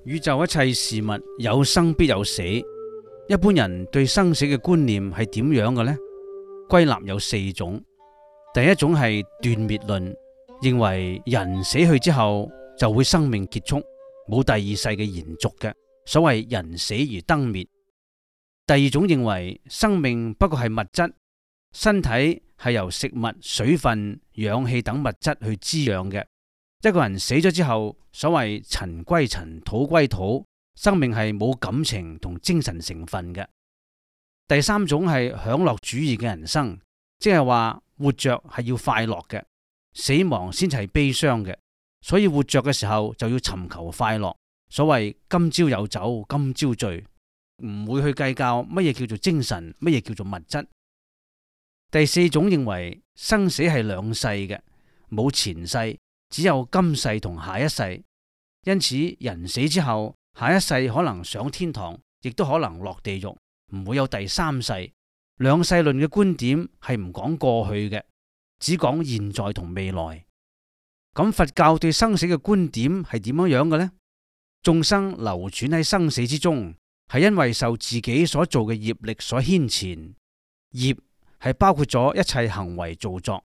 宇宙一切事物有生必有死，一般人對生死嘅觀念係點樣嘅呢？歸納有4種。第一種係斷滅論，認為人死去之後就會生命結束，冇第二世嘅延續嘅，所謂人死而燈滅。第二種認為生命不過係物質，身體係由食物、水分、氧氣等物質去滋養嘅。一個人死咗之後，所謂塵歸塵，土歸土，生命係冇感情同精神成分嘅。第三種係享樂主義嘅人生，即係話活着係要快樂嘅，死亡先係悲傷嘅，所以活着嘅時候就要尋求快樂。所謂今朝有酒今朝醉，唔會去計較乜嘢叫做精神，乜嘢叫做物質。第4種認為生死係兩世嘅，冇前世，只有今世同下一世，因此人死之後，下一世可能上天堂，亦都可能落地獄，唔會有第三世。兩世論嘅觀點係唔講過去嘅，只講現在同未來。咁佛教對生死嘅觀點係點樣嘅呢？眾生流轉喺生死之中，係因為受自己所做嘅業力所牽纏。業係包括咗一切行為造作，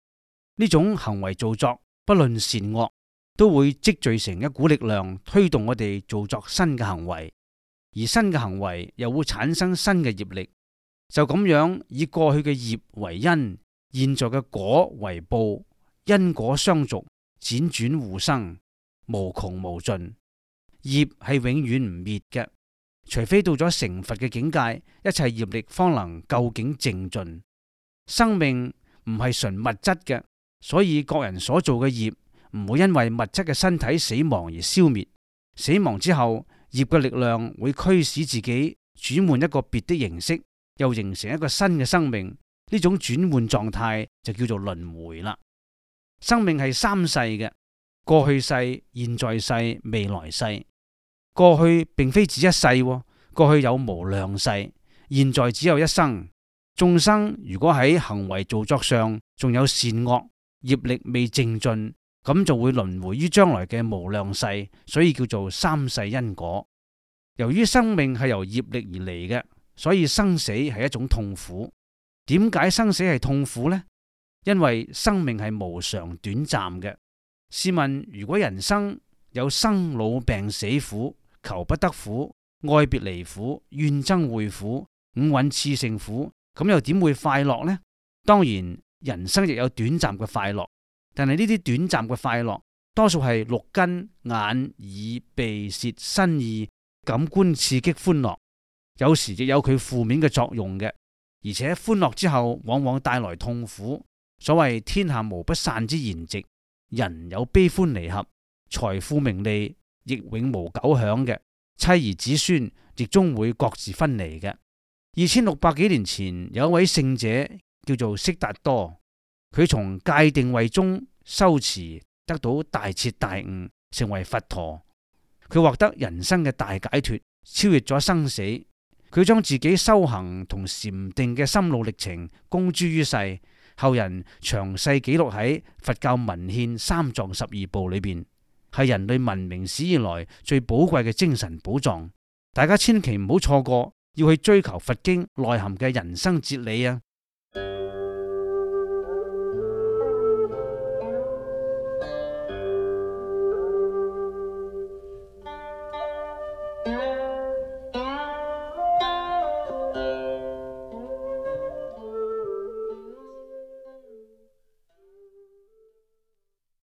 呢種行為造作不論善惡，都會積聚成一股力量，推動我哋做作新嘅行為，而新嘅行為又會產生新嘅業力。就咁樣以過去嘅業為因，現在嘅果為報，因果相續，輾轉互生，無窮無盡。業係永遠唔滅嘅，除非到咗成佛嘅境界，一切業力方能究竟淨盡。生命唔係純物質嘅，所以各人所做嘅業唔會因為物質嘅身體死亡而消滅。死亡之後，業嘅力量會驅使自己轉換一個別的形式，又形成一個新嘅生命。呢種轉換狀態就叫做輪迴啦。生命係3世嘅，過去世、現在世、未來世。過去並非指一世，過去有無量世，現在只有一生。眾生如果喺行為造作上仲有善惡，業力未淨盡，咁就會輪迴於將來嘅無量世，所以叫做3世因果。由於生命係由業力而嚟嘅，所以生死係一種痛苦。點解生死係痛苦呢？因為生命係無常短暫嘅。試問，如果人生有生老病死苦、求不得苦、愛別離苦、怨憎會苦、五蘊熾盛苦，咁又點會快樂呢？當然，人生亦有短暫嘅快樂，但係呢啲短暫嘅快樂，多數係六根、眼、耳、鼻、舌、身、意感官刺激歡樂，有時亦有佢負面嘅作用嘅，而且歡樂之後往往帶來痛苦。所謂天下無不散之筵席，人有悲歡離合，財富名利亦永無久享嘅，妻兒子孫亦終會各自分離嘅。2600幾年前有一位聖者叫做悉達多，佢從戒定慧中修持得到大徹大悟，成為佛陀。佢獲得人生嘅大解脫，超越咗生死。佢將自己修行同禪定嘅心路歷程公諸於世，後人詳細記錄喺佛教文獻三藏十二部裏邊，係人類文明史以來最寶貴嘅精神寶藏。大家千祈唔好錯過，要去追求佛經內含嘅人生哲理啊！